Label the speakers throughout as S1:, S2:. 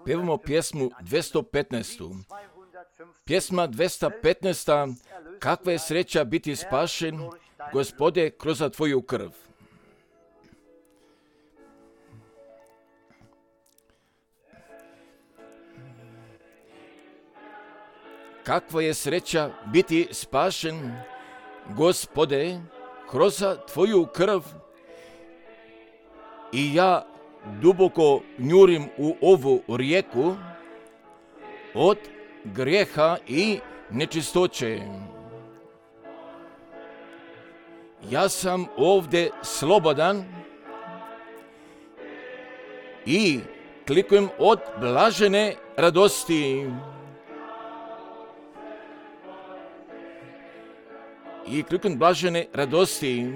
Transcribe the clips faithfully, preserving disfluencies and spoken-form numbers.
S1: Pevamo pjesmu dvjesto petnaest. Pjesma dvjesto petnaest. Kakva je sreća biti spašen, Gospode, kroz Tvoju krv. Kakva je sreća biti spašen, Gospode, kroz Tvoju krv. I ja duboko njurim u ovu rijeku od grijeha i nečistoće. Ja sam ovdje slobodan i klikujem od blažene radosti. I klikujem blažene radosti.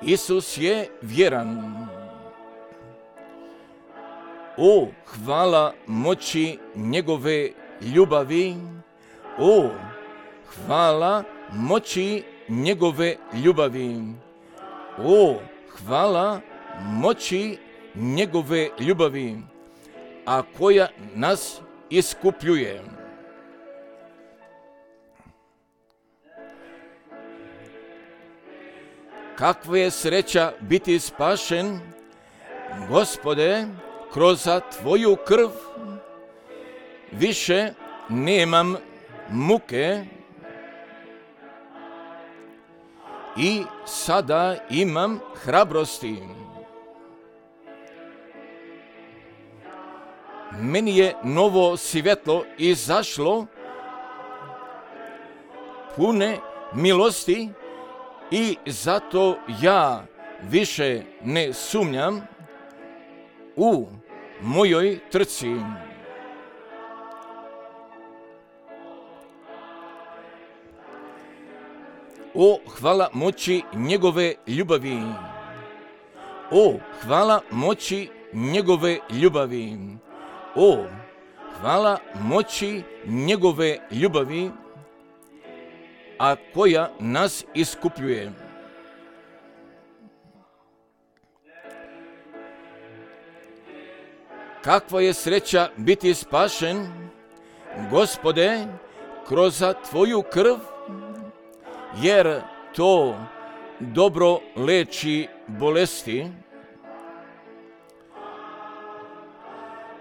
S1: Isus je vjeran. O, hvala moći njegove ljubavi. O, hvala moći njegove ljubavi. O, hvala moći njegove ljubavi, a koja nas iskupljuje. Kakva je sreća biti spašen, Gospode, kroz Tvoju krv. Više nemam muke i sada imam hrabrosti. Meni je novo svjetlo izašlo, pune milosti, i zato ja više ne sumnjam u mojoj trci. O, hvala moći njegove ljubavi. O, hvala moći njegove ljubavi. O, hvala moći njegove ljubavi, a koja nas iskupljuje. Kakva je sreća biti spašen, Gospode, kroz Tvoju krv, jer to dobro leči bolesti,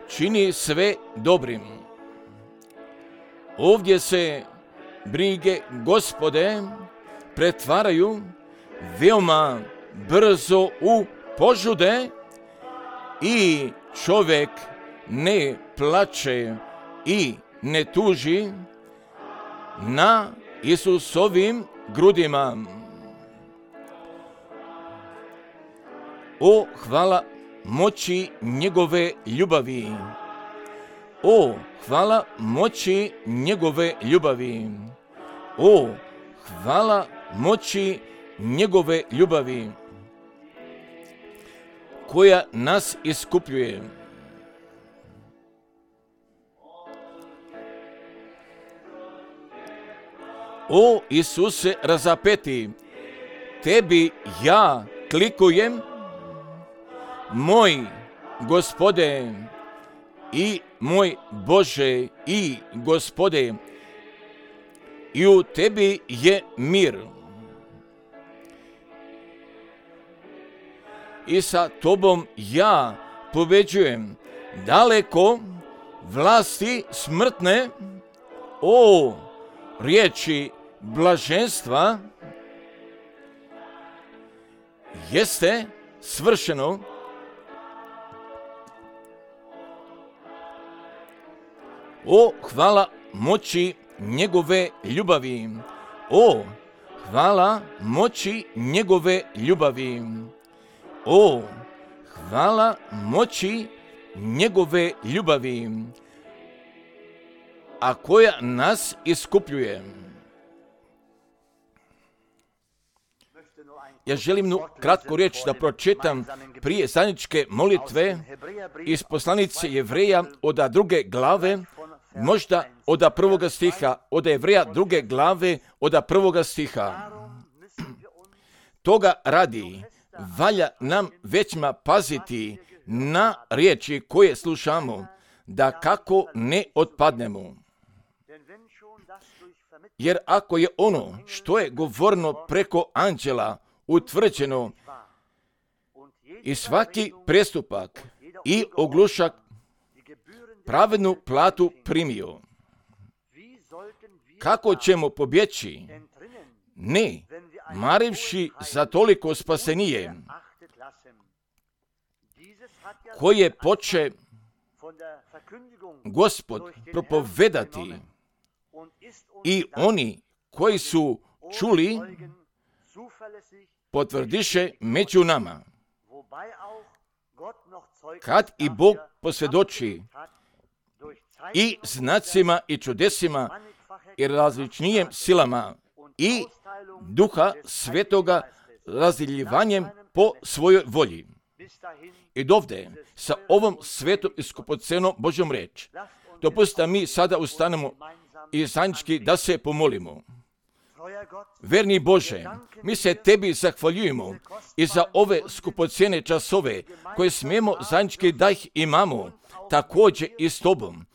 S1: čini sve dobrim. Ovdje se brige Gospode pretvaraju veoma brzo u požude i čovjek ne plače i ne tuži na Isusovim grudima. O, hvala moći njegove ljubavi. O, hvala moći njegove ljubavi. O, hvala moći njegove ljubavi, koja nas iskupljuje. O, Isuse razapeti, Tebi ja klikujem, moj Gospode i moj Bože i Gospode, i u Tebi je mir. I sa Tobom ja pobeđujem daleko vlasti smrtne. O, riječi blaženstva, jeste svršeno. O, hvala moći njegove ljubavi. O, hvala moći njegove ljubavi. O, hvala moći njegove ljubavi, a koja nas iskupljuje. Ja želim nu kratku riječ da pročitam prije zajedničke molitve iz poslanice Jevreja od druge glave, možda od prvoga stiha, od Jevreja druge glave od prvoga stiha. Toga radi valja nam većma paziti na riječi koje slušamo, da kako ne otpadnemo. Jer ako je ono što je govoreno preko anđela utvrđeno i svaki prestupak i oglušak pravednu platu primio, kako ćemo pobjeći, ne marivši za toliko spasenije, koje poče Gospod propovedati, i oni koji su čuli potvrdiše među nama, kad i Bog posvjedoči i znacima i čudesima i različnijim silama i Duha Svetoga razdjeljivanjem po svojoj volji. I dovde sa ovom svetom i skupocenom Božjom riječ, dopustite mi sada ustanemo i zajednički da se pomolimo. Verni Bože, mi se Tebi zahvaljujemo i za ove skupocjene časove koje smijemo zajednički da ih imamo, također i s Tobom.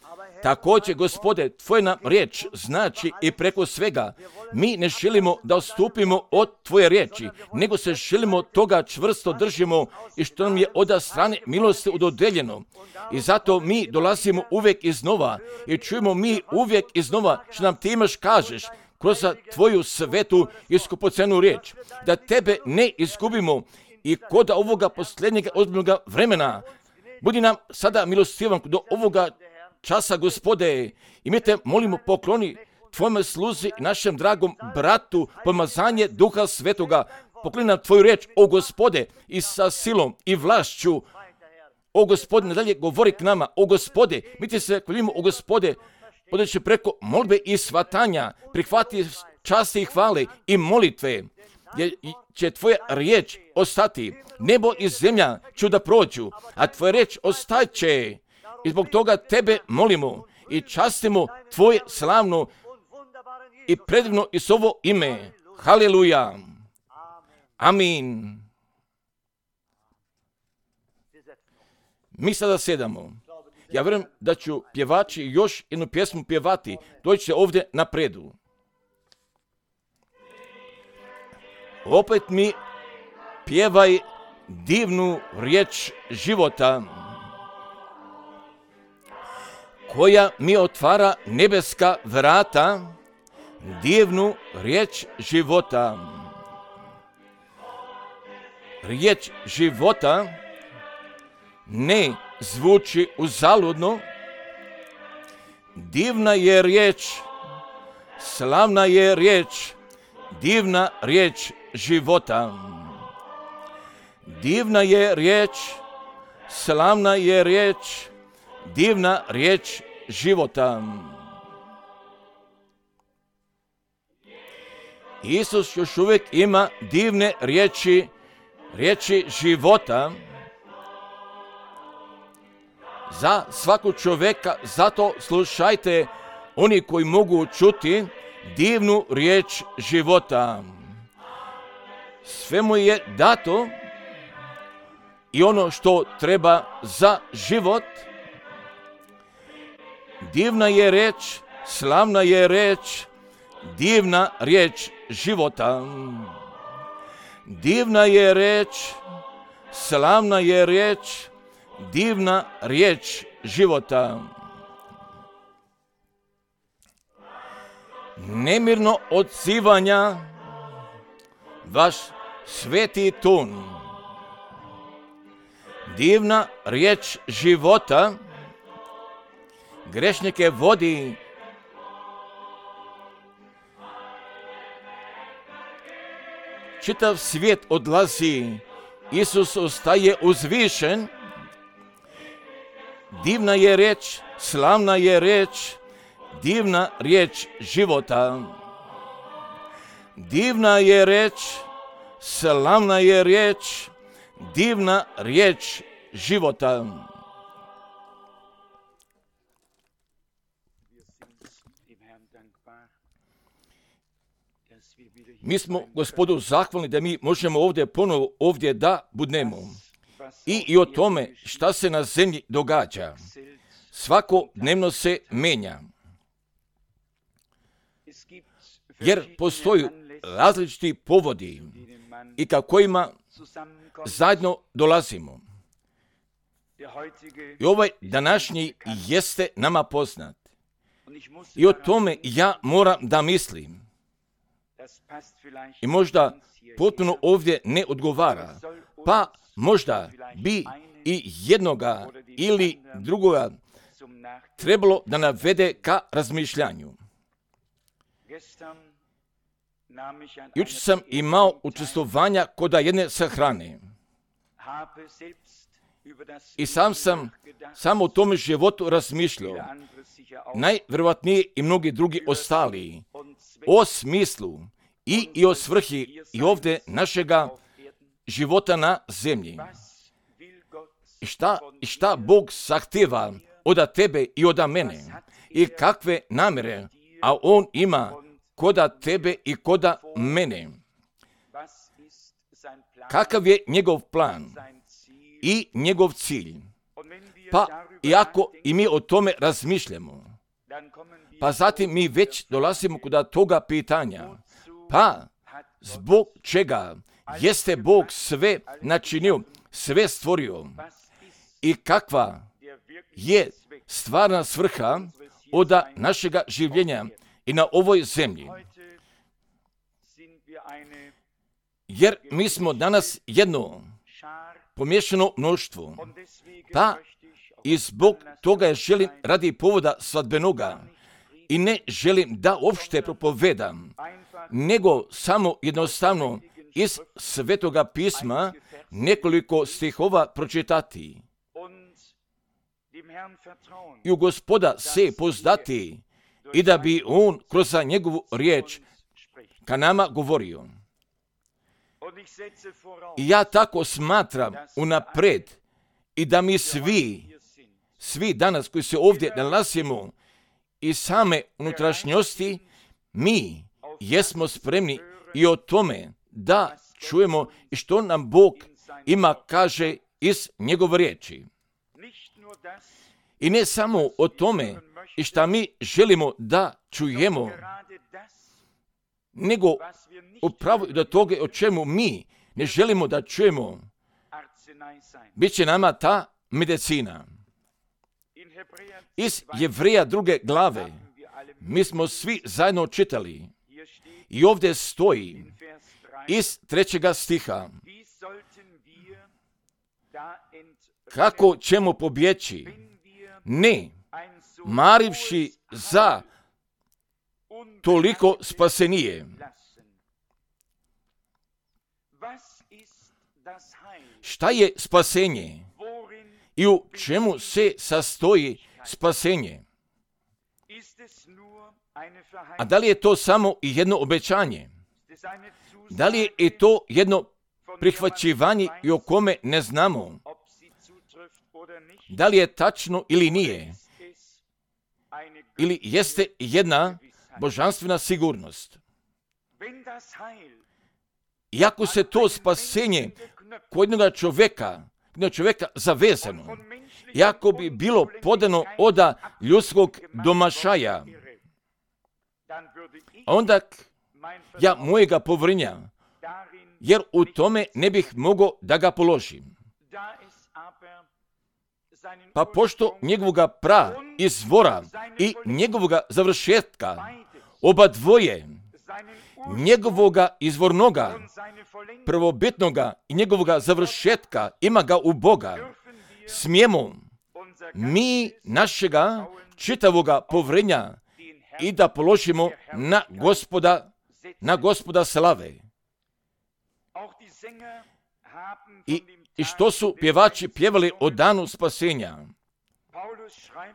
S1: Također, Gospode, Tvoja nam riječ znači i preko svega. Mi ne želimo da odstupimo od Tvoje riječi, nego se želimo toga čvrsto držimo i što nam je od strane milosti udodeljeno. I zato mi dolazimo uvijek iznova i čujemo mi uvijek iznova što nam Ti imaš kažeš kroz Tvoju svetu i skupocenu riječ, da Tebe ne izgubimo i kod ovoga posljednjeg ozbiljnog vremena. Budi nam sada milostivan do ovoga časa, Gospode, i mi Te molimo pokloni Tvojom sluzi i našem dragom bratu pomazanje Duha Svetoga. Pokloni nam Tvoju riječ, o Gospode, i sa silom i vlašću. O Gospode, nadalje govori k nama. O Gospode, mi Ti se hvalimo, o Gospode, podajući preko molbe i svatanja, prihvati časti i hvale i molitve, jer će Tvoja riječ ostati. Nebo i zemlja ću da prođu, a Tvoja riječ ostaće. I zbog toga Tebe molimo i častimo Tvoje slavno i predivno Isovo ime. Haleluja. Amin. Mi sada sedamo. Ja vjerujem da ću pjevači još jednu pjesmu pjevati. Doći će ovdje napredu. Opet mi pjevaj divnu riječ života, koja mi otvara nebeska vrata, divnu riječ života. Riječ života ne zvuči uzaludno, divna je riječ, slavna je riječ, divna riječ života. Divna je riječ, slavna je riječ, divna riječ života. Isus još uvijek ima divne riječi, riječi života za svaku čovjeka. Zato slušajte oni koji mogu čuti divnu riječ života. Sve mu je dato i ono što treba za život. Divna je riječ, slavna je riječ, divna riječ života. Divna je riječ, slavna je riječ, divna riječ života. Nemirno odzivanja vaš sveti ton. Divna riječ života grešnike vodi. Čitav svijet odlazi, Isus ostaje uzvišen. Divna je riječ, slavna je riječ, divna riječ života. Divna je riječ, slavna je riječ, divna riječ života. Mi smo Gospodu zahvalni da mi možemo ovdje ponovo ovdje da budnemo. i, i o tome šta se na zemlji događa. Svakodnevno se menja. Jer postoji različiti povodi i ka kojima zajedno dolazimo. I ovaj današnji jeste nama poznat. I o tome ja moram da mislim. I možda potpuno ovdje ne odgovara. Pa možda bi i jednoga ili drugoga trebalo da navede ka razmišljanju. Jučer sam imao učestvovanja kod jedne sahrane. I sam sam samo o tome životu razmišljao. Najvjerovatnije i mnogi drugi ostali. O smislu i, i o svrhi i ovdje našega života na zemlji. I šta, i šta Bog zahtjeva od tebe i od mene. I kakve namjere, a On ima koda tebe i koda mene. Kakav je njegov plan i njegov cilj. Pa iako i mi o tome razmišljamo, pa zatim mi već dolazimo kod toga pitanja. Pa zbog čega jeste Bog sve načinio, sve stvorio i kakva je stvarna svrha od našega življenja i na ovoj zemlji. Jer mi smo danas jedno pomiješano mnoštvo, pa i zbog toga želim radi povoda svadbenoga i ne želim da uopšte propovedam, nego samo jednostavno iz Svetoga pisma nekoliko stihova pročitati i u Gospoda se pozdati i da bi On kroz njegovu riječ ka nama govorio. I ja tako smatram unapred i da mi svi, svi danas koji se ovdje nalazimo i same unutrašnjosti, mi jesmo spremni i o tome da čujemo i što nam Bog ima kaže iz njegove riječi. I ne samo o tome i šta mi želimo da čujemo, nego upravo do toga o čemu mi ne želimo da čujemo, bit će nama ta medicina. Iz Jevreja druge glave mi smo svi zajedno čitali i ovdje stoji iz trećega stiha. Kako ćemo pobjeći? Ne, marivši za toliko spasenije. Šta je spasenje? I u čemu se sastoji spasenje? A da li je to samo i jedno obećanje? Da li je i to jedno prihvaćivanje i o kome ne znamo? Da li je tačno ili nije? Ili jeste jedna božanstvena sigurnost? Iako se to spasenje kod jednoga čovjeka, jednog čovjeka zavezano, iako bi bilo podano od ljudskog domašaja, onda ja mojega povrnja, jer u tome ne bih mogao da ga položim. Pa pošto njegovoga pra izvora i njegovoga završetka, oba dvoje, njegovoga izvornoga, prvobitnoga i njegovoga završetka ima ga u Boga, smijemo mi našega čitavoga povrenja i da položimo na Gospoda, na Gospoda slave. I, I što su pjevači pjevali o danu spasenja?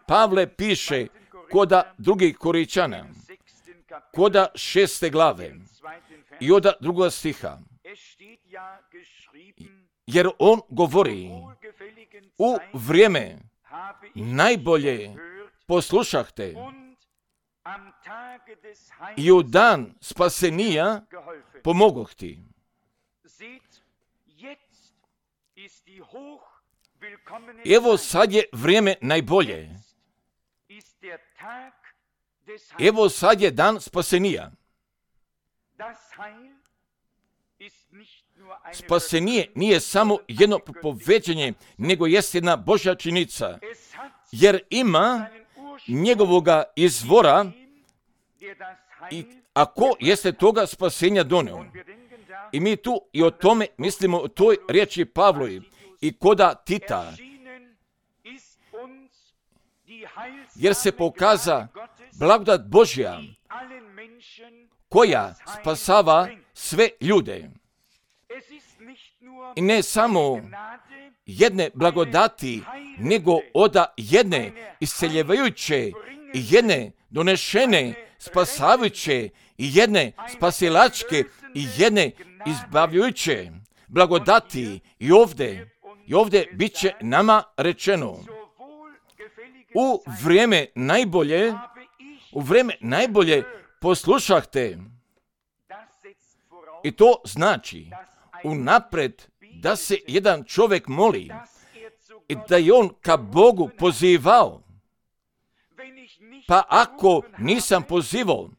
S1: Pavle piše koda drugih Korinčana, koda šeste glave i od drugoga stiha. Jer on govori, u vrijeme najbolje poslušahte i u dan spasenija pomogoh ti. Evo sad je vrijeme najbolje. Evo sad je dan spasenija. Spasenije nije samo jedno propoveđenje, nego jest jedna Božja činjenica, jer ima njegovoga izvora i ako jeste toga spasenja donio. I mi tu i o tome mislimo o toj riječi Pavlovi i koda Tita, jer se pokaza blagodat Božja koja spasava sve ljude. I ne samo jedne blagodati, nego oda jedne isceljevajuće i jedne donešene spasavajuće i jedne spasilačke i jedne izbavljujuće blagodati i ovdje, i ovdje bit će nama rečeno u vrijeme najbolje, u vrijeme najbolje poslušahte. I to znači unapred da se jedan čovjek moli i da je on ka Bogu pozivao. Pa ako nisam pozivao,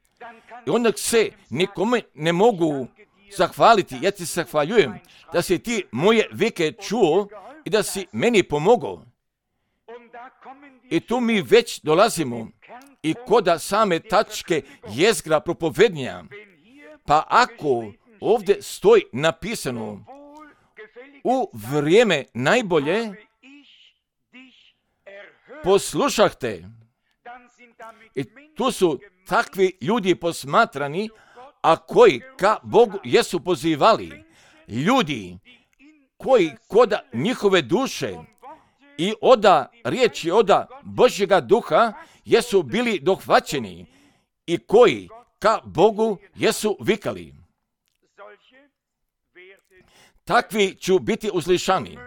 S1: i onda se nikome ne mogu zahvaliti, ja ti zahvaljujem da si ti moje vike čuo i da si meni pomogao. I tu mi već dolazimo i koda same tačke jezgra propovednja. Pa ako ovdje stoji napisano u vrijeme najbolje poslušahte, i tu su takvi ljudi posmatrani, a koji ka Bogu jesu pozivali. Ljudi koji koda njihove duše i oda riječi, oda Božjega duha jesu bili dohvaćeni i koji ka Bogu jesu vikali. Takvi ću biti uslišani.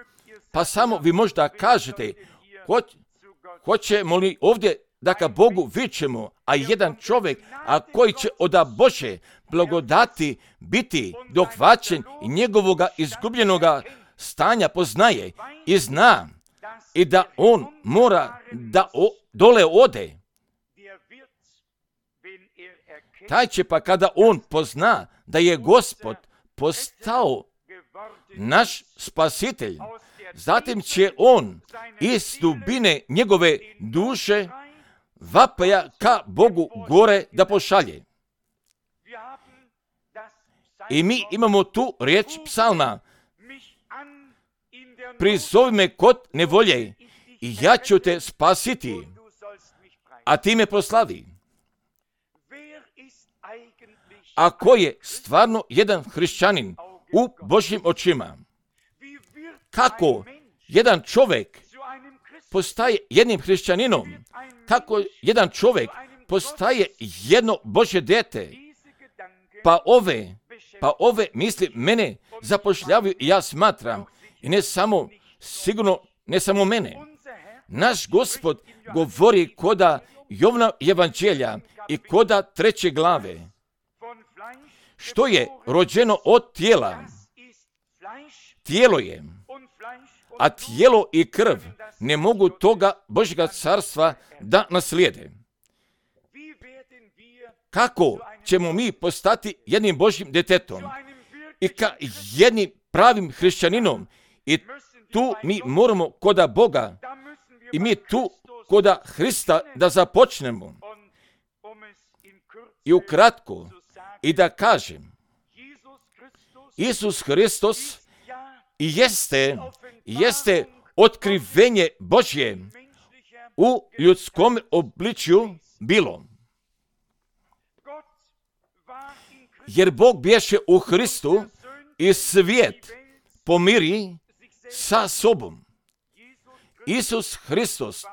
S1: Pa samo vi možda kažete, ho, hoćemo li ovdje da ka Bogu vičemo, a jedan čovjek, a koji će oda Bože blagodati biti dohvaćen i njegovoga izgubljenoga stanja poznaje i zna i da on mora da o, dole ode. Taj će pa kada on pozna da je Gospod postao naš spasitelj, zatim će on iz dubine njegove duše vapaja ka Bogu gore da pošalje. I mi imamo tu riječ psalma: prizovi me kod nevolje i ja ću te spasiti, a ti me proslavi. Ako je stvarno jedan hrišćanin u Božjim očima, kako jedan čovjek postaje jednim hrišćaninom, kako jedan čovjek postaje jedno Božje dijete, pa ove, pa ove misli mene zapošljavaju i ja smatram, i ne samo, sigurno ne samo mene. Naš Gospod govori koda Jovna evanđelja i koda treće glave. Što je rođeno od tijela? Tijelo je, a tijelo i krv ne mogu toga Božjega carstva da naslijede. Kako ćemo mi postati jednim Božjim djetetom i ka jednim pravim hrišćaninom? I tu mi moramo koda Boga i mi tu koda Hrista da započnemo. I ukratko, i da kažem, Isus Hristos jeste, jeste otkrivenje Božje u ljudskom obličju bilo. Jer Bog bješe u Hristu i svijet pomiri sa sobom. Isus Hristos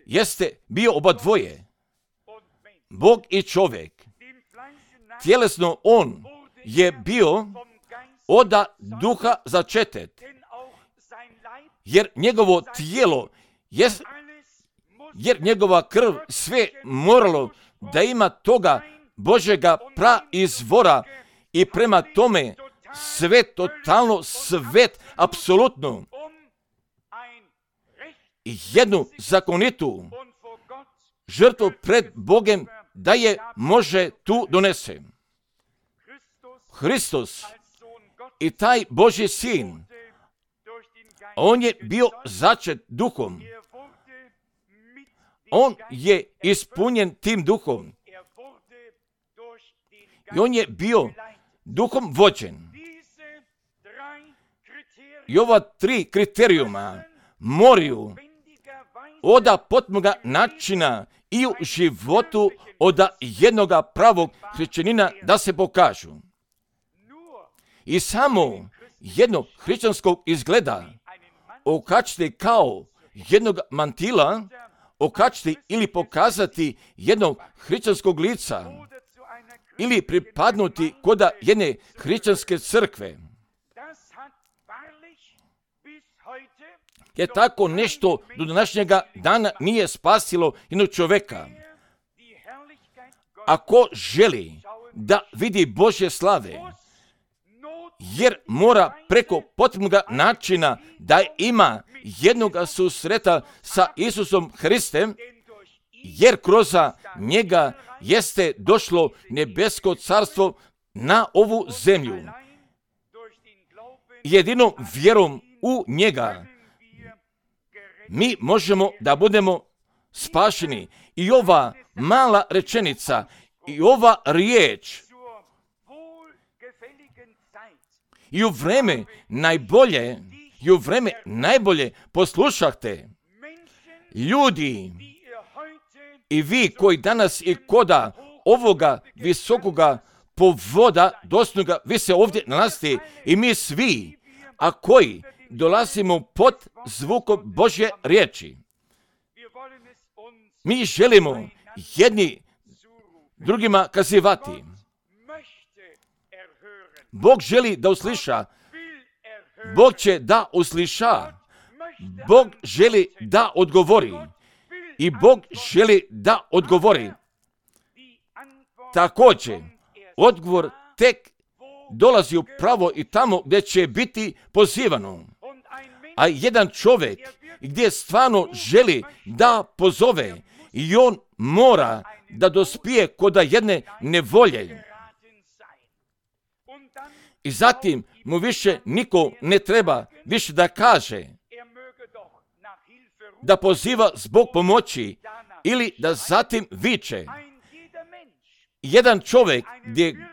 S1: jeste bio oba dvoje, Bog i čovjek. Tjelesno on je bio oda duha začetet, jer njegovo tijelo, je, jer njegova krv sve moralo da ima toga Božjega praizvora i prema tome sve totalno, svet apsolutno jednu zakonitu žrtvu pred Bogem da je može tu donese. Hristos i taj Božji sin, on je bio začet duhom. On je ispunjen tim duhom. I on je bio duhom vođen. I ova tri kriterijuma moraju oda potmoga načina i u životu oda jednoga pravog hrišćanina da se pokažu. I samo jednog hrišćanskog izgleda okačiti kao jednog mantila, okačiti ili pokazati jednog hrišćanskog lica ili pripadnuti koda jedne hrišćanske crkve. Je tako nešto do današnjega dana nije spasilo jednog čoveka. Ako želi da vidi Božje slave, jer mora preko potrebnog načina da ima jednog susreta sa Isusom Hristem, jer kroz njega jeste došlo nebesko carstvo na ovu zemlju. Jedinom vjerom u njega mi možemo da budemo spašeni. I ova mala rečenica i ova riječ i u vreme najbolje i u vreme najbolje poslušahte ljudi i vi koji danas i koda ovoga visokoga povoda dostojnoga vi se ovdje nalazite i mi svi, a koji dolazimo pod zvukom Božje riječi. Mi želimo jedni drugima kazivati. Bog želi da usliša. Bog će da usliša. Bog želi da odgovori. I Bog želi da odgovori. Također, odgovor tek dolazi upravo i tamo gdje će biti pozivano. A jedan čovjek gdje stvarno želi da pozove i on mora da dospije koda jedne nevolje. I zatim mu više niko ne treba više da kaže da poziva zbog pomoći ili da zatim viče. Jedan čovjek gdje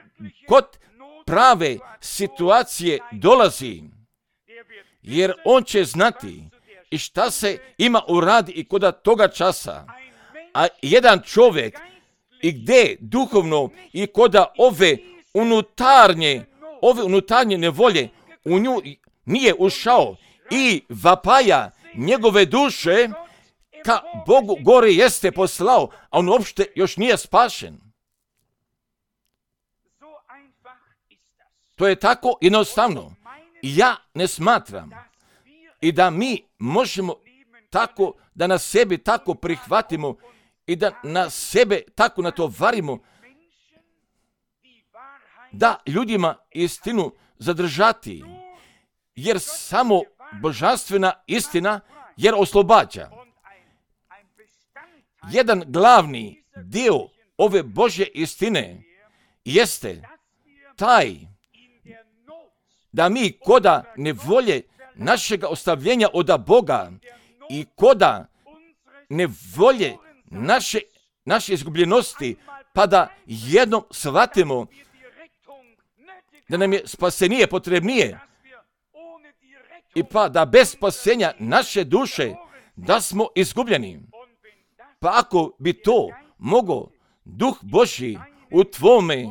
S1: kod prave situacije dolazi, jer on će znati i šta se ima uradi i koda toga časa. A jedan čovjek i gdje duhovno i koda ove unutarnje, ove unutarnje nevolje u nju nije ušao i vapaja njegove duše ka Bogu gore jeste poslao, a on uopšte još nije spašen. To je tako jednostavno. Ja ne smatram i da mi možemo tako da na sebi tako prihvatimo i da na sebe tako natovarimo da ljudima istinu zadržati, jer samo božanstvena istina jer oslobađa. Jedan glavni dio ove Božje istine jeste taj da mi koda nevolje našega ostavljenja od Boga i koda nevolje naše, naše izgubljenosti, pa da jednom shvatimo da nam je spasenije potrebnije i pa da bez spasenja naše duše da smo izgubljeni. Pa ako bi to mogao Duh Božji u tvome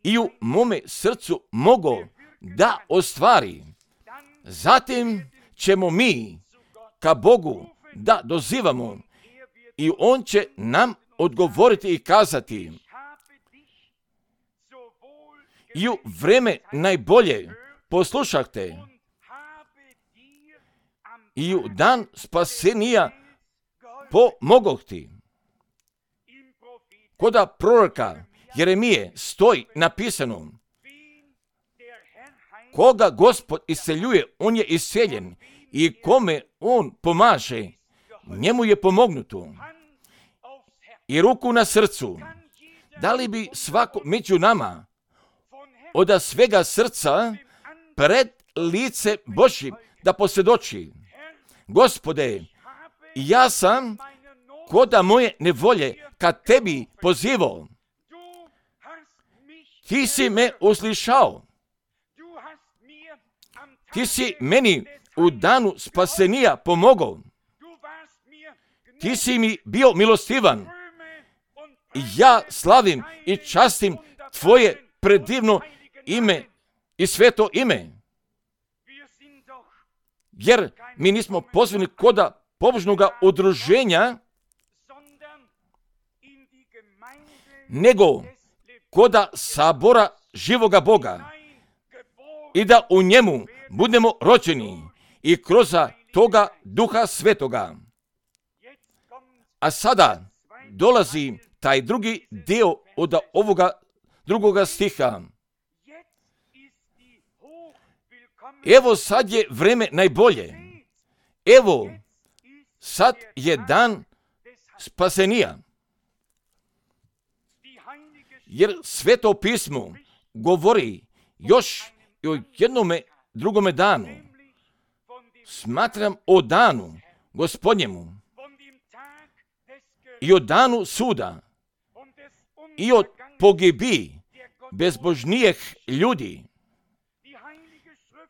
S1: i u mome srcu mogao da ostvari, zatim ćemo mi ka Bogu da dozivamo i On će nam odgovoriti i kazati: i u vreme najbolje poslušahte i u dan spasenija pomogoh ti. Koda proroka Jeremije stoji napisano: koga Gospod iseljuje, on je iseljen, i kome on pomaže, njemu je pomognuto. I ruku na srcu, da li bi svako među nama od svega srca pred lice Božje da posvjedoči: Gospode, ja sam koda moje nevolje kad tebi pozivao. Ti si me uslišao. Ti si meni u danu spasenija pomogao. Ti si mi bio milostivan. Ja slavim i častim tvoje predivno ime i sveto ime. Jer mi nismo pozvani koda pobožnoga udruženja, nego koda sabora živoga Boga. I da u njemu budemo rođeni i kroz toga Duha Svetoga. A sada dolazi taj drugi dio od ovoga drugoga stiha. Evo sad je vreme najbolje. Evo sad je dan spasenija. Jer Sveto pismo govori još i o jednome drugome danu. Smatram o danu Gospodnjemu i o danu suda i o pogibi bezbožnijih ljudi.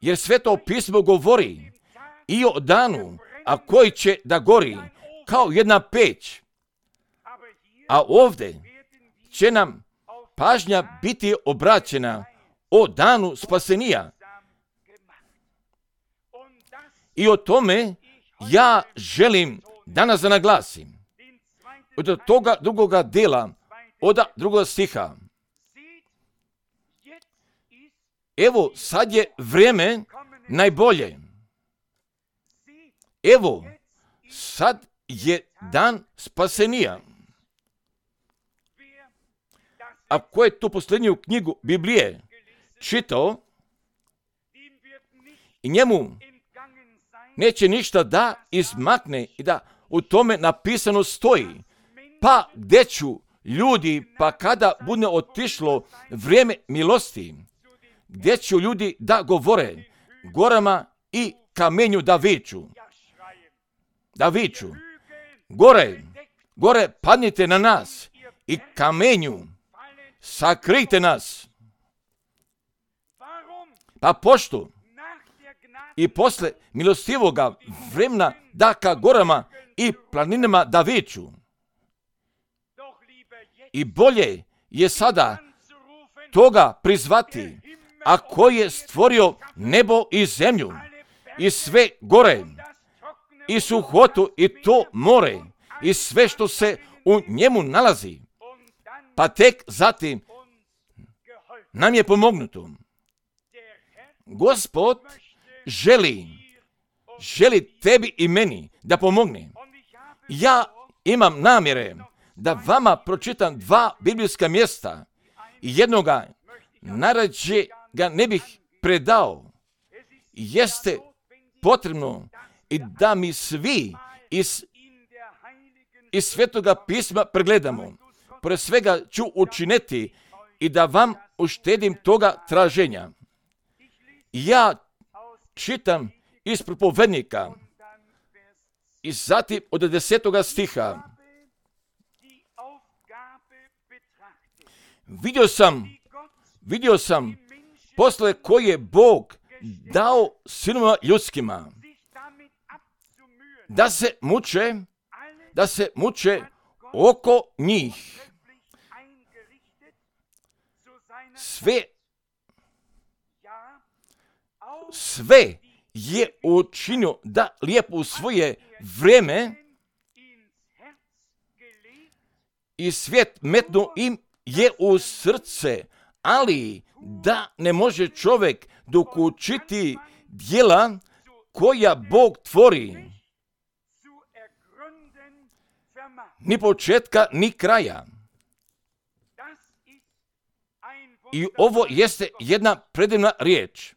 S1: Jer Sveto pismo govori i o danu, a koji će da gori kao jedna peć. A ovdje će nam pažnja biti obraćena o danu spasenija. I o tome ja želim danas da naglasim. Od toga drugoga dela, od drugoga stiha. Evo, sad je vrijeme najbolje. Evo, sad je dan spasenija. A ko je tu posljednju knjigu Biblije čitao, i njemu neće ništa da izmakne i da u tome napisano stoji: pa gdje ću ljudi, pa kada bude otišlo vrijeme milosti, gdje ću ljudi da govore gorama i kamenju da viču. Da viču. Gore, gore padnite na nas i kamenju sakrijte nas. Pa pošto i posle milostivoga vremena da ka gorama i planinama da viču. I bolje je sada toga prizvati, a koji je stvorio nebo i zemlju i sve gore i suhotu i to more i sve što se u njemu nalazi. Pa tek zatim nam je pomognuto. Gospod želi, želi tebi i meni da pomogne. Ja imam namjere da vama pročitam dva biblijska mjesta i jednoga najrađe ga ne bih predao. Jeste potrebno i da mi svi iz, iz Svetoga pisma pregledamo. Pored svega ću učiniti i da vam uštedim toga traženja. Ja čitam iz propovednika i zatim od desetoga stiha. Vidio sam, vidio sam posle koje je Bog dao sinovima ljudskima da se muče, da se muče oko njih. Sve, sve je učinio da lijepo u svoje vrijeme i svijet metno im je u srce, ali da ne može čovjek dokučiti djela koja Bog tvori. Ni početka, ni kraja. I ovo jeste jedna predivna riječ.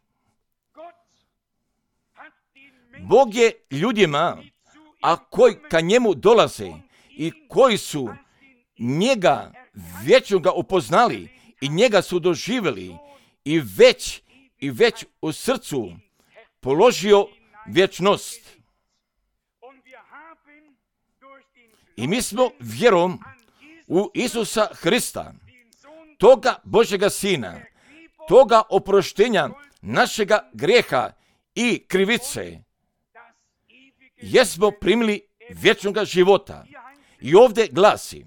S1: Bog je ljudima a koji ka njemu dolaze i koji su njega vječnoga upoznali i njega su doživjeli i već i već u srcu položio vječnost. I mi smo vjerom u Isusa Hrista, toga Božjega Sina, toga oproštenja našega grijeha i krivice, jesmo primili vječnoga života. I ovdje glasi,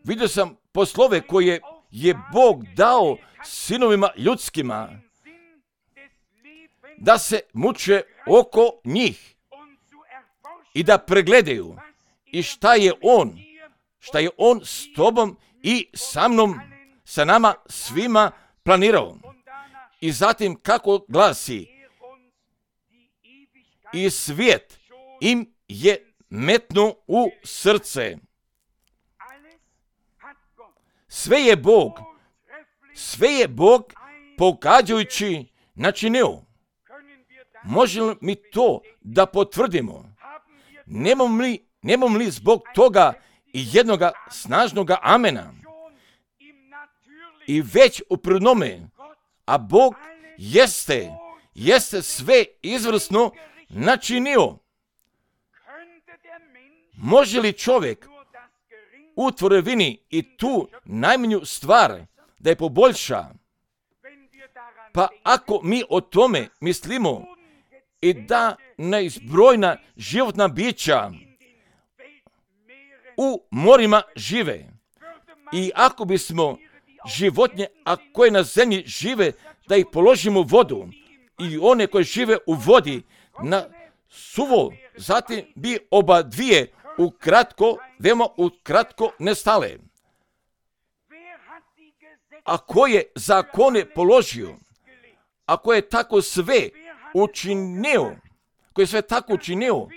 S1: vidio sam poslove koje je Bog dao sinovima ljudskima da se muče oko njih i da pregledaju i šta je On, šta je On s tobom i sa mnom, sa nama svima planirao. I zatim kako glasi, i svijet im je metnuo u srce. Sve je Bog, sve je Bog pogađajući načinio. Možemo li mi to da potvrdimo? Nemamo li, nemamo li zbog toga i jednoga snažnoga amena? I već u prirodnome, a Bog jeste, jeste sve izvrsno načinio. Može li čovjek u tvorevini i tu najmanju stvar da je poboljša? Pa ako mi o tome mislimo i da neizbrojna životna bića u morima žive i ako bismo životinje, a koje na zemlji žive, da ih položimo u vodu i one koje žive u vodi na suvo, zatim bi oba dvije ukratko, veoma ukratko nestale. A ko je zakone položio, ako je tako sve učinio, ko je sve tako učinio,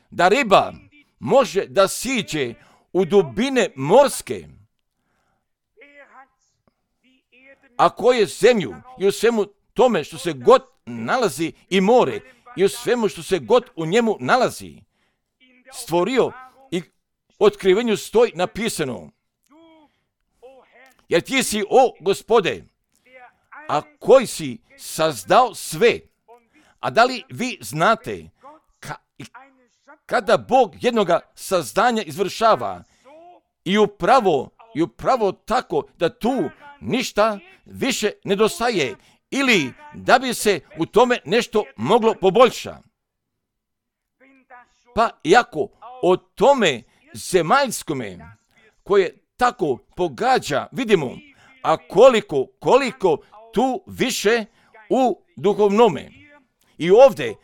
S1: da riba može da siđe u dubine morske, a ko je zemlju i u svemu tome što se god nalazi i more i u svemu što se god u njemu nalazi stvorio, i otkrivenju stoji napisano, jer ti si, o Gospode, a koji si sazdao sve. A da li vi znate ka, kada Bog jednoga sazdanja izvršava i upravo, i upravo tako da tu ništa više nedostaje ili da bi se u tome nešto moglo poboljšati. Pa iako o tome zemaljskome koje tako pogađa vidimo, a koliko, koliko tu više u duhovnome. I ovdje,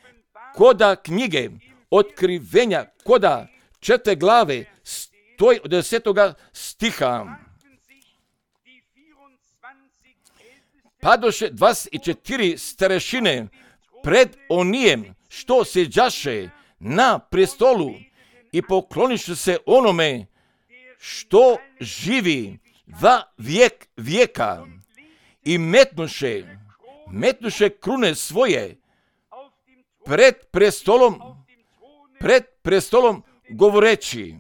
S1: koda knjige otkrivenja, koda četiri glave, stoji od desetoga stiha. Padoše dvadeset četiri starešine pred onijem što sjeđaše na prestolu i pokloniše se onome što živi va vijek vijeka i metnuše, metnuše krune svoje pred prestolom, pred prestolom govoreći: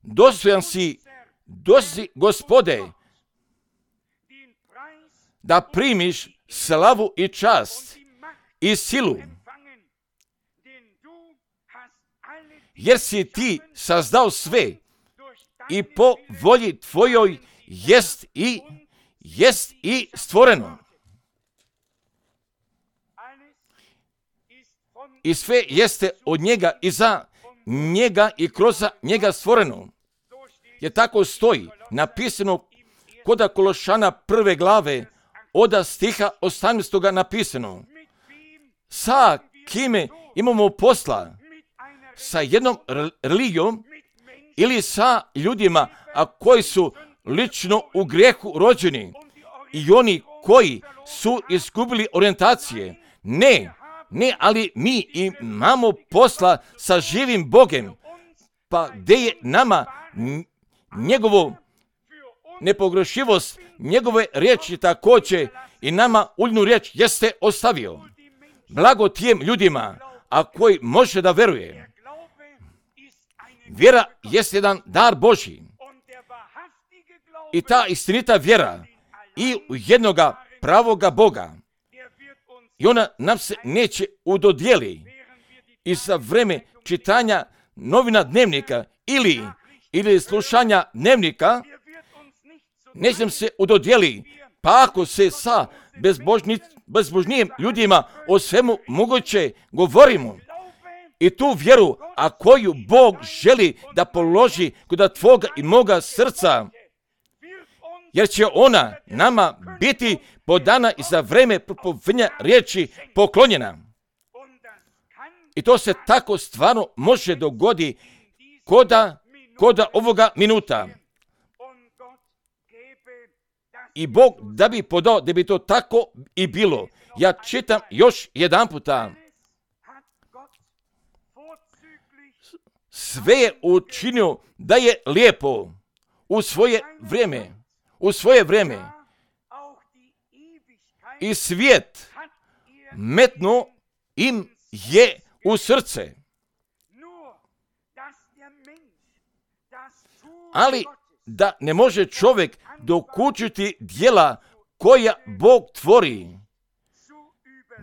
S1: dostojan si, dostojan si, Gospode, da primiš slavu i čast i silu, jer si ti sazdao sve i po volji tvojoj jest i jest i stvoreno. I sve jeste od njega i za njega i kroz njega stvoreno. Je tako stoji napisano koda Kološana prve glave od stiha osamnaestoga napisano: sa kime imamo posla? Sa jednom religijom ili sa ljudima a koji su lično u grijehu rođeni i oni koji su izgubili orijentacije? Ne, ne, ali mi imamo posla sa živim Bogem. Pa gdje je nama njegovo nepogrešivost njegove riječi također i nama uljnu riječ jeste ostavio. Blago tijem ljudima, a koji može da veruje. Vjera jest jedan dar Božji. I ta istinita vjera i u jednoga pravoga Boga. I ona nam se neće udodijeli. I za vreme čitanja novina dnevnika ili, ili slušanja dnevnika neće nam se udodijeli. Pa ako se sa bezbožni, bezbožnijim ljudima o svemu moguće govorimo i tu vjeru, a koju Bog želi da položi kod tvoga i moga srca, jer će ona nama biti podana i za vreme propovedanja riječi poklonjena. I to se tako stvarno može dogodi koda, koda ovoga minuta. I Bog da bi podao da bi to tako i bilo. Ja čitam još jedan puta. Sve je učinio da je lijepo u svoje vrijeme. U svoje vrijeme. I svijet metno im je u srce. Ali da ne može čovjek dokučiti djela koja Bog tvori,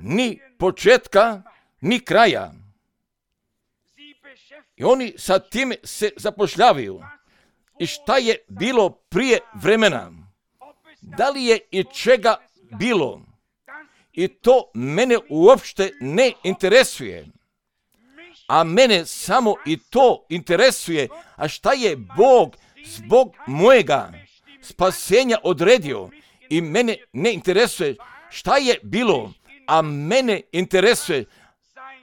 S1: ni početka, ni kraja. I oni sa tim se zapošljavaju. I šta je bilo prije vremena? Da li je i čega bilo? I to mene uopšte ne interesuje. A mene samo i to interesuje. A šta je Bog zbog mojega spasenja odredio? I mene ne interesuje šta je bilo, a mene interesuje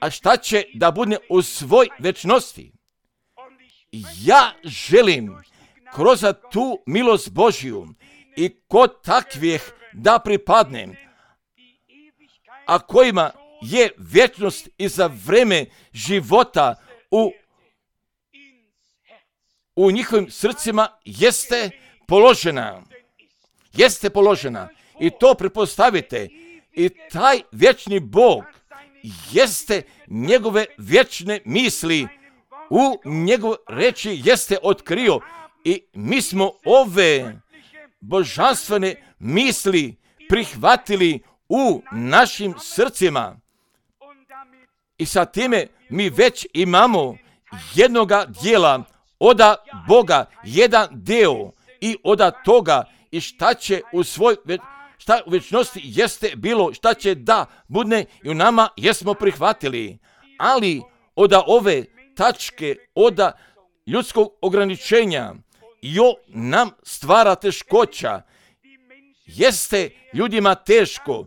S1: a šta će da bude u svoj večnosti. Ja želim kroz tu milost Božju i kod takvih da pripadnem, a kojima je vječnost i za vreme života u, u njihovim srcima jeste položena. Jeste položena. I to pretpostavite. I taj vječni Bog jeste njegove vječne misli u njegove reči jeste otkrio. I mi smo ove božanstvene misli prihvatili u našim srcima. I sa time mi već imamo jednoga dijela oda Boga, jedan deo i oda toga i šta će u svoj šta u večnosti jeste bilo, šta će da budne i u nama jesmo prihvatili. Ali oda ove tačke, oda ljudskog ograničenja, jo nam stvara teškoća. Jeste ljudima teško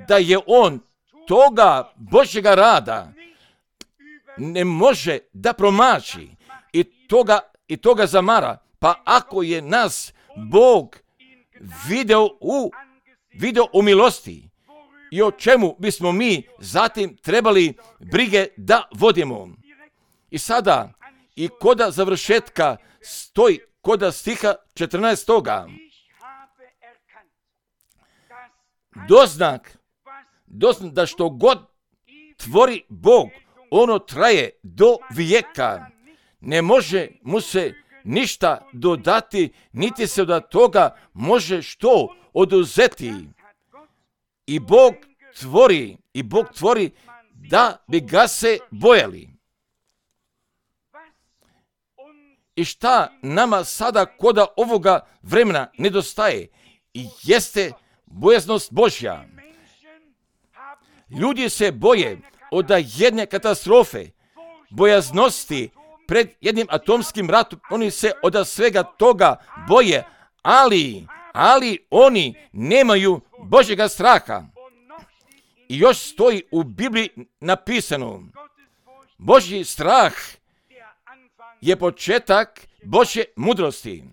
S1: da je on toga Božjega rada ne može da promaši i toga, i toga zamara. Pa ako je nas Bog video u, video u milosti i o čemu bismo mi zatim trebali brige da vodimo. I sada i koda završetka stoji koda stiha četrnaestoga. Doznak, doznak da što god tvori Bog, ono traje do vijeka. Ne može mu se ništa dodati, niti se od toga može što oduzeti. I Bog tvori, i Bog tvori da bi ga se bojali. I šta nama sada koda ovoga vremena nedostaje? I jeste bojaznost Božja. Ljudi se boje od jedne katastrofe, bojaznosti pred jednim atomskim ratom. Oni se od svega toga boje, ali, ali oni nemaju Božjega straha. I još stoji u Bibliji napisano, Božji strah je početak Božje mudrosti.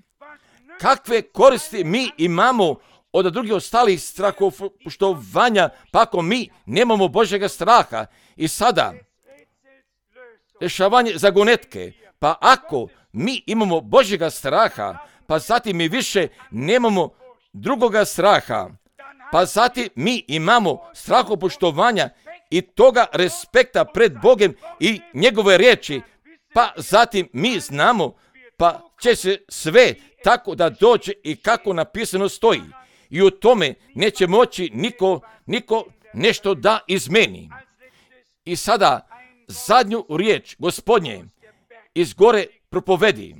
S1: Kakve koristi mi imamo od drugih ostalih strahopoštovanja, pa ako mi nemamo Božjega straha? I sada, rješavanje zagonetke, pa ako mi imamo Božjega straha, pa zatim mi više nemamo drugoga straha, pa zatim mi imamo strahopoštovanja i toga respekta pred Bogom i njegove riječi, pa zatim mi znamo, pa će se sve tako da dođe i kako napisano stoji. I u tome neće moći niko, niko nešto da izmeni. I sada zadnju riječ Gospodnje iz gore propovedi.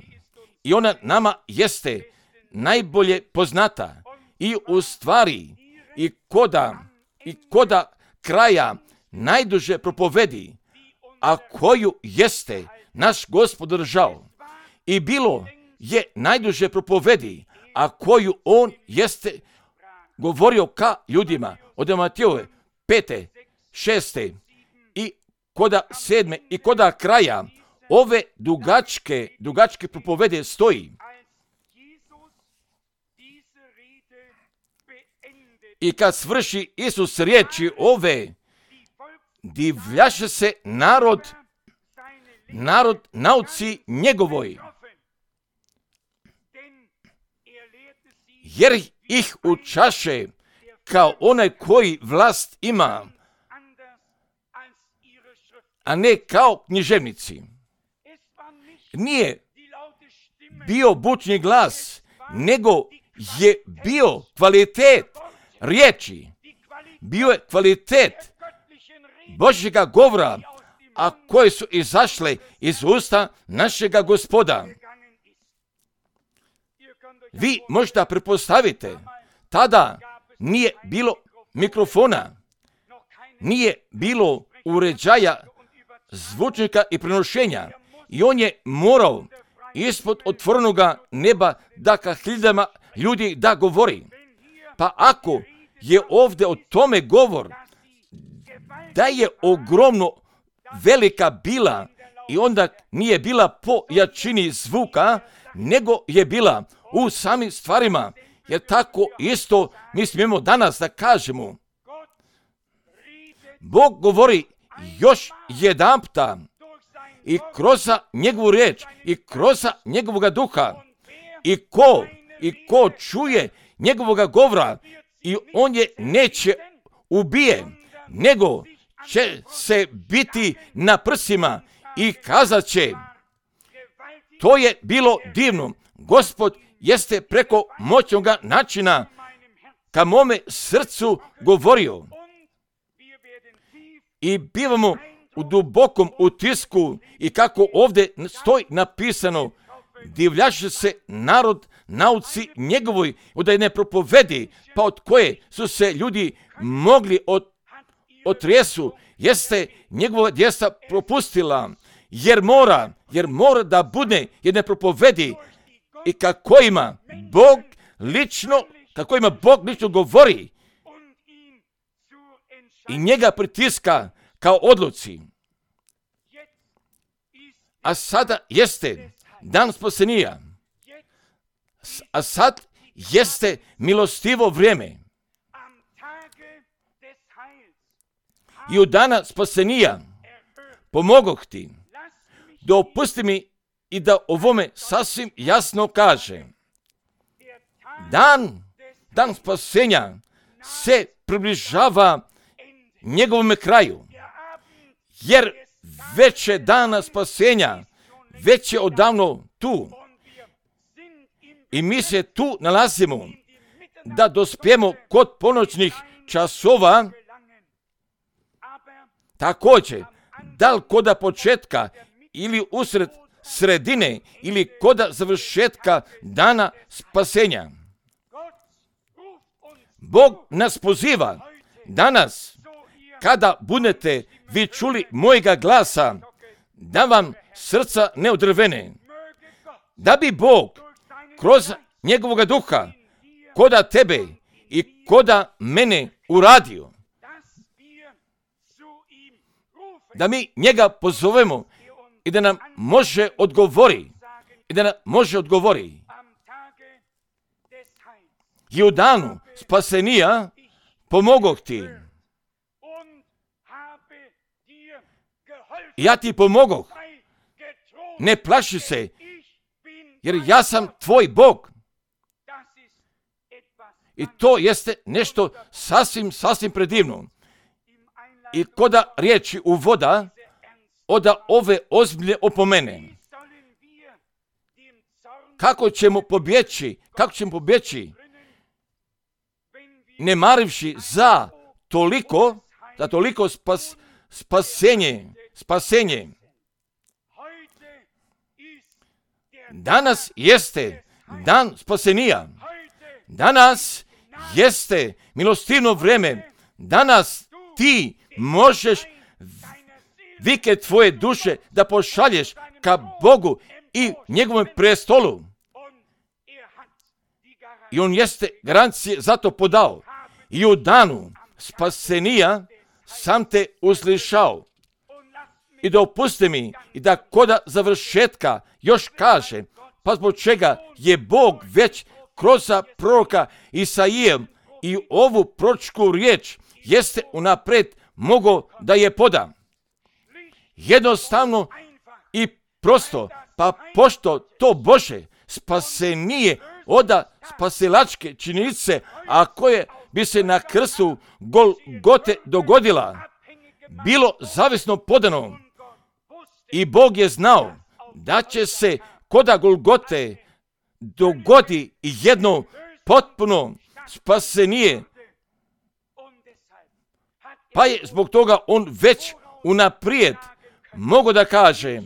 S1: I ona nama jeste najbolje poznata. I u stvari i koda, i koda kraja najduže propovedi, a koju jeste naš Gospod držao. I bilo je najduže propovedi, a koju on jeste govorio ka ljudima od Matejove pete, šeste i koda sedme i koda kraja ove dugačke, dugačke propovede stoji. I kad svrši Isus riječi ove, divljaše se narod, narod nauci njegovoj, jer ih učaše kao onaj koji vlast ima, a ne kao književnici. Nije bio bučni glas, nego je bio kvalitet riječi, bio je kvalitet Božjega govora, a koje su izašle iz usta našega Gospoda. Vi možda pretpostavite, tada nije bilo mikrofona, nije bilo uređaja, zvučnika i prenošenja, i on je morao ispod otvorenoga neba da ka hiljadama ljudi da govori. Pa ako je ovdje o tome govor, da je ogromno velika bila i onda nije bila po jačini zvuka, nego je bila u samim stvarima, jer tako isto mi smijemo danas da kažemo. Bog govori još jedanputa i kroz njegovu riječ i kroz njegovoga duha, i ko, i ko čuje njegovoga govora, i on je neće ubije, nego će se biti na prsima i kazat će, to je bilo divno. Gospod jeste preko moćnoga načina ka mome srcu govorio. I bivamo u dubokom utisku i kako ovdje stoji napisano, divljaše se narod nauci njegovoj, da je ne propovedi, pa od koje su se ljudi mogli od, otrijesu, jeste njegova djesta propustila, jer mora, jer mora da bude, jer ne propovedi, i kako ima Bog lično, kako ima Bog lično govori i njega pritiska kao odluci. A sada jeste dan spasenija, a sad jeste milostivo vrijeme. I u dana spasenija pomogoh ti, dopusti mi i da ovome sasvim jasno kaže. Dan, dan spasenja se približava njegovome kraju, jer već je dana spasenja, već je odavno tu. I mi se tu nalazimo da dospijemo kod ponoćnih časova. Također, da li koda početka ili usred sredine ili koda završetka dana spasenja. Bog nas poziva danas, kada budete vi čuli mojega glasa, da vam srca ne odrvene, da bi Bog kroz njegovoga duha koda tebe i koda mene uradio, da mi njega pozovemo i da nam može odgovori, i da nam može odgovori. I u danu spasenija pomogoh ti. Ja ti pomogoh. Ne plaši se, jer ja sam tvoj Bog. I to jeste nešto sasvim, sasvim predivno. I koda riječi uvoda oda ove ozbiljne opomene. Kako ćemo pobjeći, kako ćemo pobjeći, ne marivši za toliko, za toliko spas, spasenje, spasenje. Danas jeste dan spasenija. Danas jeste milostivno vrijeme. Danas ti možeš vike tvoje duše da pošalješ ka Bogu i njegovom prestolu. I on jeste garancije za to podao. I u danu spasenija sam te uslišao. I dopusti mi i da koda završetka još kaže, pa zbog čega je Bog već kroz proroka Isaije i ovu proročku riječ jeste unaprijed mogao da je poda. Jednostavno i prosto, pa pošto to Bože spasenije oda spasilačke činjenice, a koje bi se na krstu Golgote dogodila, bilo zavisno podano. I Bog je znao da će se koda Golgote dogodi jedno potpuno spasenije. Pa je zbog toga on već unaprijed mogu da kaže,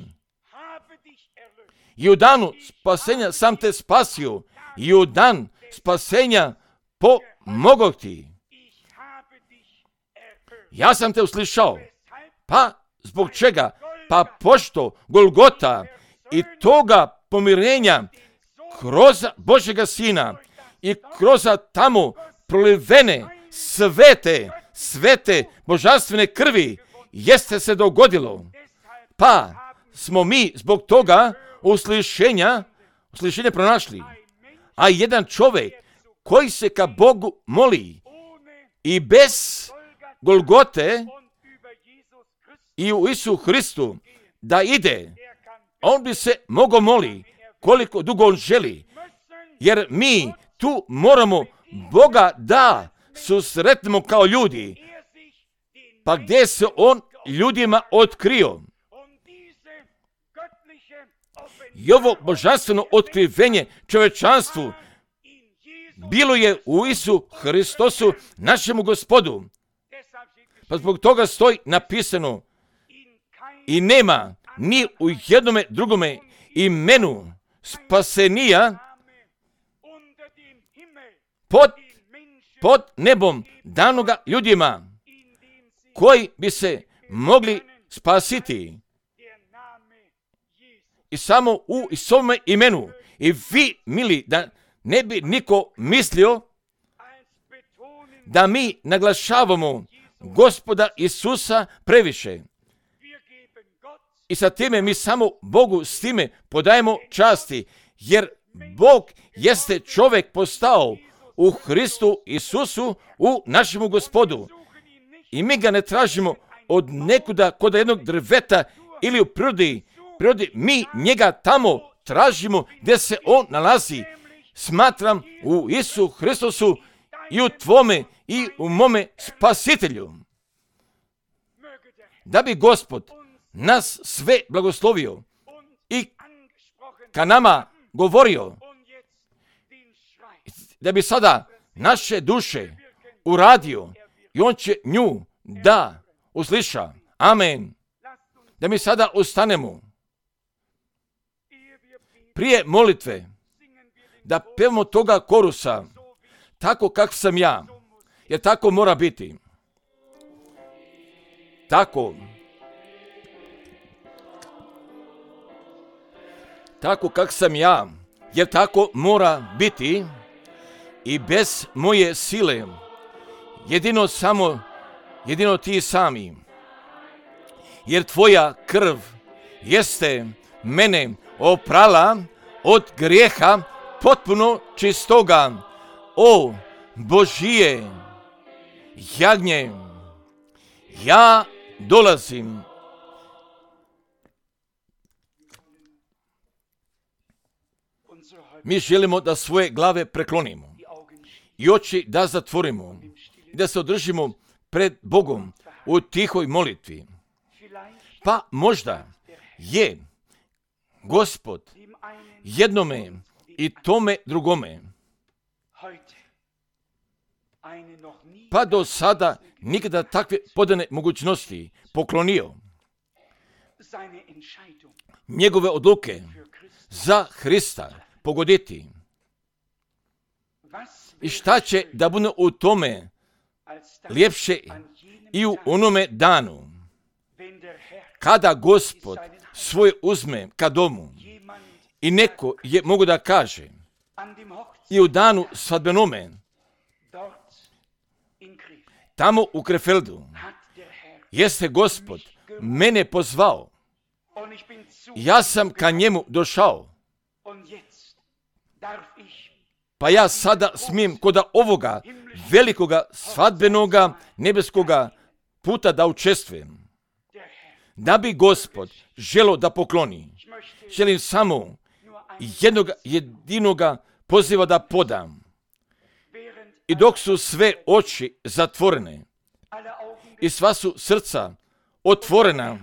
S1: i u danu spasenja sam te spasio, i u dan spasenja pomogao ti. Ja sam te uslišao. Pa zbog čega? Pa pošto Golgota i toga pomirenja kroz Božjega Sina i kroz tamo prolivene svete, svete božanstvene krvi jeste se dogodilo. Pa smo mi zbog toga uslišenja, uslišenja pronašli. A jedan čovjek koji se ka Bogu moli i bez Golgote i u Isu Hristu da ide, on bi se mogao moli koliko dugo on želi. Jer mi tu moramo Boga da susretnemo kao ljudi. Pa gdje se on ljudima otkrio? I ovo božanstveno otkrivenje čovečanstvu bilo je u Isu Hristosu, našemu Gospodu. Pa zbog toga stoji napisano, i nema ni u jednome drugome imenu spasenija pod, pod nebom danoga ljudima koji bi se mogli spasiti. I samo u Isovome imenu. I vi, mili, da ne bi niko mislio da mi naglašavamo Gospoda Isusa previše. I sa time mi samo Bogu s time podajemo časti, jer Bog jeste čovjek postao u Hristu Isusu, u našemu Gospodu. I mi ga ne tražimo od nekuda kod jednog drveta ili u prirodi. prirodi. Mi njega tamo tražimo gdje se on nalazi. Smatram u Isu Hristosu i u tvome i u mome spasitelju. Da bi Gospod nas sve blagoslovio i ka nama govorio, da bi sada naše duše uradio i on će nju da usliša. Amen. Da mi sada ustanemo prije molitve, da pevamo toga korusa, tako kak sam ja, jer tako mora biti. Tako. Tako kak sam ja, jer tako mora biti i bez moje sile, jedino samo, jedino ti sami. Jer tvoja krv jeste mene oprala od grijeha potpuno čistoga. O Božije jagnje, ja dolazim. Mi želimo da svoje glave preklonimo i oči da zatvorimo, da se održimo pred Bogom u tihoj molitvi. Pa možda je Gospod jednome i tome drugome, pa do sada nikada takve podane mogućnosti poklonio. Njegove odluke za Hrista pogoditi. I šta će da bude u tome ljepše i u onome danu, kada Gospod svoje uzme ka domu i neko je mogu da kaže i u danu svadbenome tamo u Krefeldu jeste Gospod mene pozvao. Ja sam ka njemu došao. Pa ja sada smijem koda ovoga velikoga svadbenoga nebeskoga puta da učestvujem. Da bi Gospod želo da pokloni. Želim samo jednog jedinoga poziva da podam. I dok su sve oči zatvorene i sva su srca otvorena,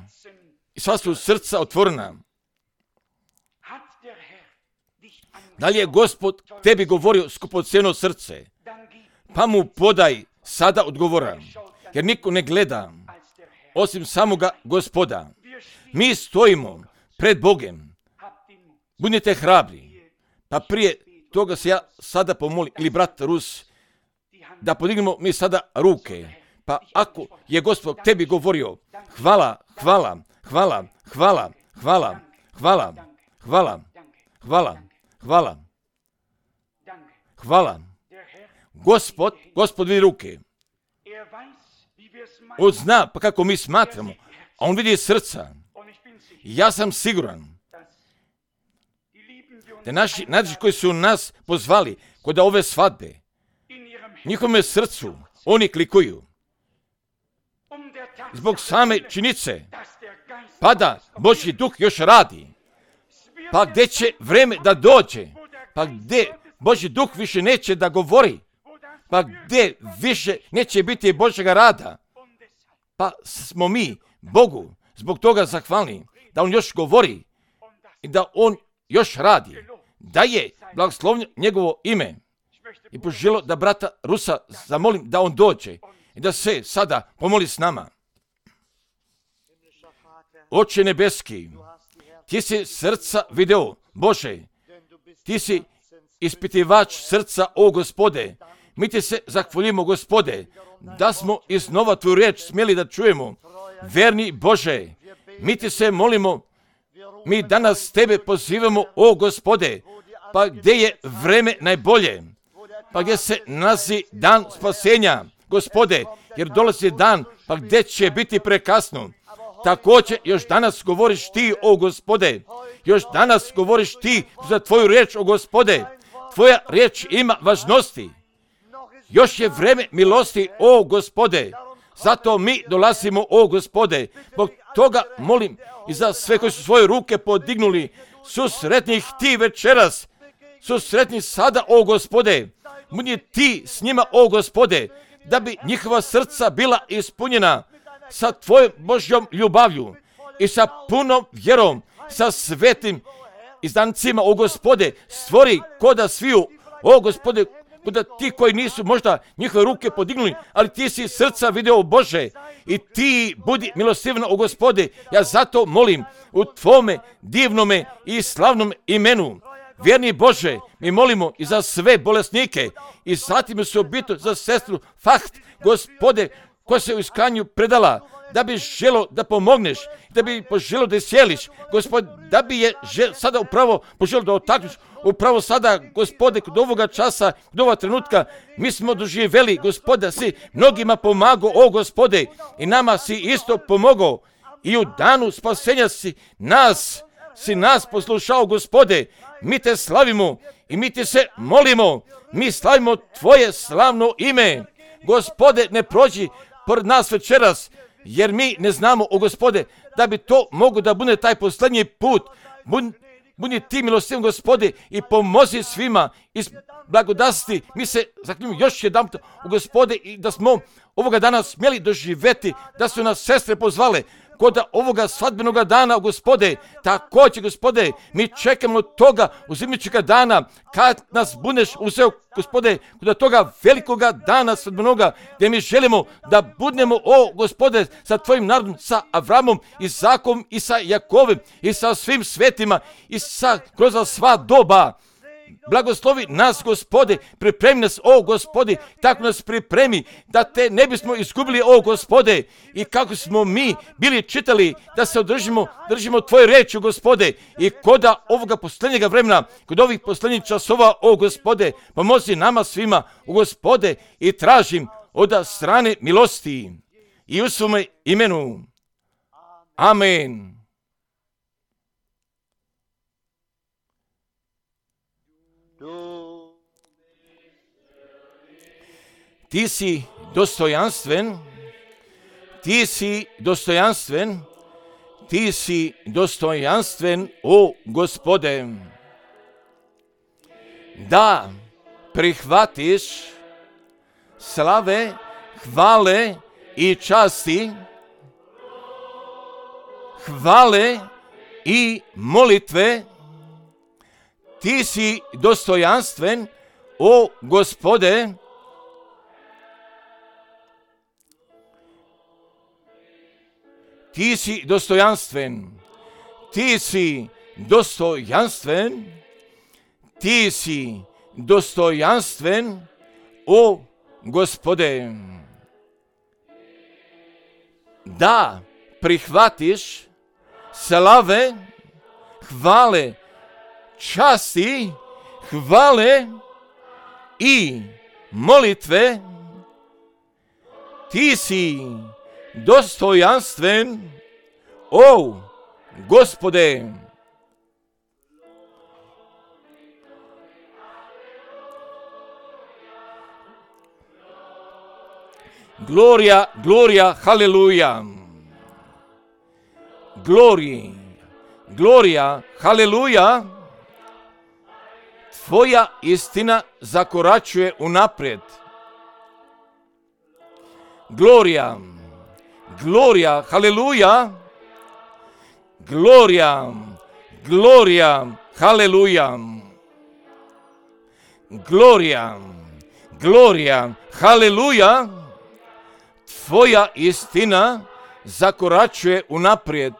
S1: i sva su srca otvorena, da li je Gospod tebi govorio skupocjeno srce, pa mu podaj sada odgovora, jer niko ne gleda osim samoga Gospoda. Mi stojimo pred Bogem. Budite hrabri. Pa prije toga se ja sada pomolim, ili brat Rus, da podignemo mi sada ruke. Pa ako je Gospod tebi govorio, hvala, hvala, hvala, hvala, hvala, hvala, hvala, hvala, hvala, hvala. Gospod, Gospod vidi ruke. On zna pa kako mi smatramo, a on vidi srca. Ja sam siguran da naši naši koji su nas pozvali kod ove svadbe, njihovome srcu oni klikuju. Zbog same činjenice, pa da Božji duh još radi, pa gdje će vreme da dođe, pa gdje Božji duh više neće da govori, pa gdje više neće biti Božjega rada, pa smo mi Bogu zbog toga zahvalni da on još govori i da on još radi, da je blagoslovljeno njegovo ime. I poželo da brata Rusa zamolim da on dođe i da se sada pomoli s nama. Oče nebeski, ti si srca video, Bože, ti si ispitivač srca, o Gospode. Mi ti se zahvaljujemo, Gospode, da smo iznova tvoju riječ smjeli da čujemo. Verni Bože, mi ti se molimo, mi danas tebe pozivamo, o Gospode, pa gdje je vreme najbolje, pa gdje se nalazi dan spasenja, Gospode, jer dolazi dan, pa gdje će biti prekasno. Također još danas govoriš ti, o Gospode, još danas govoriš ti za tvoju riječ, o Gospode. Tvoja riječ ima važnosti. Još je vreme milosti, o Gospode. Zato mi dolazimo, o Gospode. Zbog toga molim i za sve koji su svoje ruke podignuli, su sretni ti večeras, su sretni sada, o Gospode. Budi ti s njima, o Gospode, da bi njihova srca bila ispunjena sa tvojom Božjom ljubavlju i sa punom vjerom, sa svetim izdancima, o Gospode, stvori koda sviju, o Gospode, koda ti koji nisu možda njihove ruke podignuli, ali ti si srca video, Bože, i ti budi milostivno, o Gospode. Ja zato molim u tvome divnome i slavnom imenu. Vjerni Bože, mi molimo i za sve bolesnike i zatim se obitu za sestru Faht, Gospode, koja se u iskanju predala, da bi želo da pomogneš, da bi poželo da sjeliš, Gospod, da bi je žel, sada upravo poželo da otakneš, upravo sada, Gospode, kod ovoga časa, kod ovoga trenutka, mi smo doživjeli, Gospoda, si mnogima pomagao, o Gospode, i nama si isto pomogao, i u danu spasenja si nas, si nas poslušao, Gospode, mi te slavimo i mi ti se molimo, mi slavimo tvoje slavno ime. Gospode, ne prođi pored nas večeras, jer mi ne znamo, o Gospode, da bi to mogo da bude taj posljednji put. Budi, budi ti milostiv, Gospode, i pomozi svima iz blagodasti. Mi se zaklinjamo još jedan u Gospode i da smo ovoga dana smjeli doživjeti, da su nas sestre pozvale kod ovoga svadbenoga dana, Gospode. Također, Gospode, mi čekamo toga uzimičega dana, kad nas budeš uzeo, Gospode, kod toga velikoga dana svadbenoga, gdje mi želimo da budemo, o Gospode, sa tvojim narodom, sa Avramom, Isakom i sa Jakovem i sa svim svetima i sa kroz sva doba. Blagoslovi nas, Gospode, pripremi nas, o Gospode, tako nas pripremi da te ne bismo izgubili, o Gospode, i kako smo mi bili čitali da se održimo, držimo tvoje reči, Gospode, i kod ovoga posljednjega vremena, kod ovih posljednjih časova, o Gospode, pomozi nama svima, o Gospode, i tražim od strane milosti i u svome imenu. Amen. Ti si dostojanstven, ti si dostojanstven, ti si dostojanstven, o Gospode, da prihvatiš slave, hvale i časti, hvale i molitve. Ti si dostojanstven, o Gospode, ti si dostojanstven, ti si dostojanstven, ti si dostojanstven, o Gospode, da prihvatiš slave, hvale, časti, hvale i molitve. Ti si dostojanstven, o Gospode. Gloria, gloria, haleluja. Gloria, gloria, haleluja. Tvoja istina zakoračuje unaprijed. Gloria, gloria, haleluja. Gloria, gloria, haleluja. Gloria, gloria, haleluja. Tvoja istina zakoračuje unaprijed.